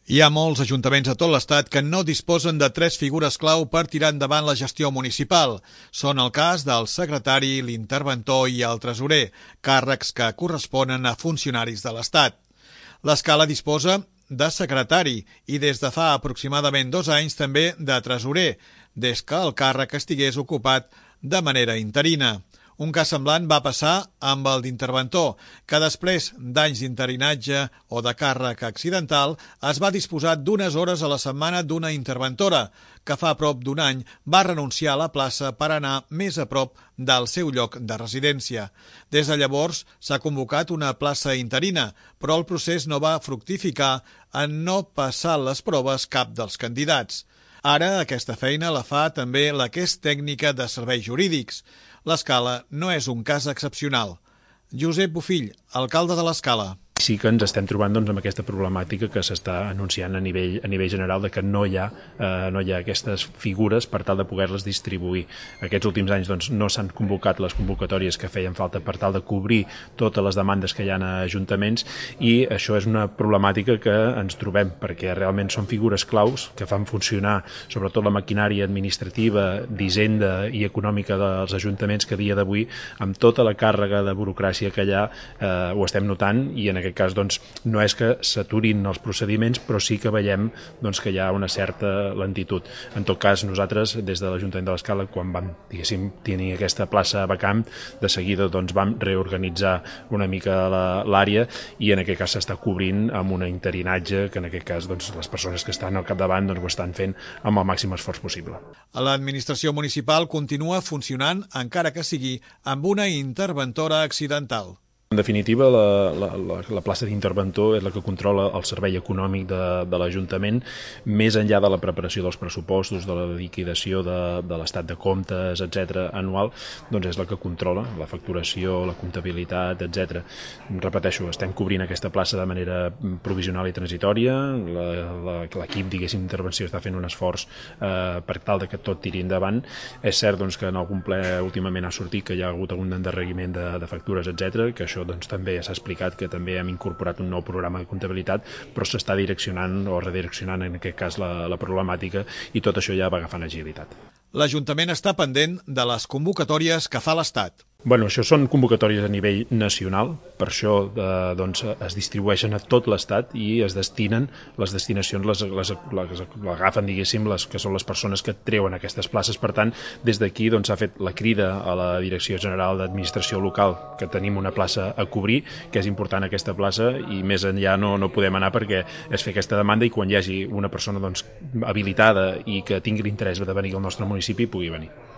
Hi ha molts ajuntaments a tot l'Estat que no disposen de 3 figures clau per tirar endavant la gestió municipal. Són el cas del secretari, l'interventor i el tresorer, càrrecs que corresponen a funcionaris de l'Estat. L'Escala disposa de secretari i des de fa aproximadament 2 anys també de tresorer, des que el càrrec estigués ocupat de manera interina. Un cas semblant va passar amb el d'interventor, que després d'anys d'interinatge o de càrrec accidental es va disposar d'unes hores a la setmana d'una interventora, que fa prop d'un any va renunciar a la plaça per anar més a prop del seu lloc de residència. Des de llavors s'ha convocat una plaça interina, però el procés no va fructificar en no passar les proves cap dels candidats. Ara aquesta feina la fa també la que és tècnica de serveis jurídics. L'Escala no és un cas excepcional. Josep Bofill, alcalde de l'Escala. Sí que ens estem trobant amb aquesta problemàtica que s'està anunciant a nivell general de que no hi ha aquestes figures per tal de poder-les distribuir. Aquests últims anys no s'han convocat les convocatòries que feien falta per tal de cobrir totes les demandes que hi ha a ajuntaments i això és una problemàtica que ens trobem perquè realment són figures claus que fan funcionar sobretot la maquinària administrativa, d'hisenda i econòmica dels ajuntaments que a dia d'avui amb tota la càrrega de burocràcia que hi ha ho estem notant i en aquest cas no és que s'aturin els procediments, però sí que veiem que hi ha una certa lentitud. En tot cas, nosaltres, des de l'Ajuntament de l'Escala, quan vam tenir aquesta plaça vacant, de seguida vam reorganitzar una mica l'àrea i en aquest cas s'està cobrint amb un interinatge que en aquest cas les persones que estan al capdavant ho estan fent amb el màxim esforç possible. L'administració municipal continua funcionant, encara que sigui amb una interventora accidental. En definitiva, la plaça d'interventor és la que controla el servei econòmic de l'Ajuntament, més enllà de la preparació dels pressupostos, de la liquidació de l'estat de comptes, etc. anual, és la que controla la facturació, la comptabilitat, etc. Repeteixo, estem cobrint aquesta plaça de manera provisional i transitòria, l'equip d'intervenció està fent un esforç per tal que tot tiri endavant. És cert que en algun ple últimament ha sortit que hi ha hagut algun endarreriment de factures, etc., que això també s'ha explicat que també hem incorporat un nou programa de comptabilitat, però s'està direccionant o redireccionant en aquest cas la problemàtica i tot això ja va agafant agilitat. L'Ajuntament està pendent de les convocatòries que fa l'Estat. Això són convocatòries a nivell nacional, per això es distribueixen a tot l'Estat i es destinen, les destinacions l'agafen, diguéssim, les que són les persones que treuen aquestes places. Per tant, des d'aquí s'ha fet la crida a la Direcció General d'Administració Local que tenim una plaça a cobrir, que és important aquesta plaça i més enllà no podem anar perquè és fer aquesta demanda i quan hi hagi una persona habilitada i que tingui l'interès de venir al nostre municipi pugui venir.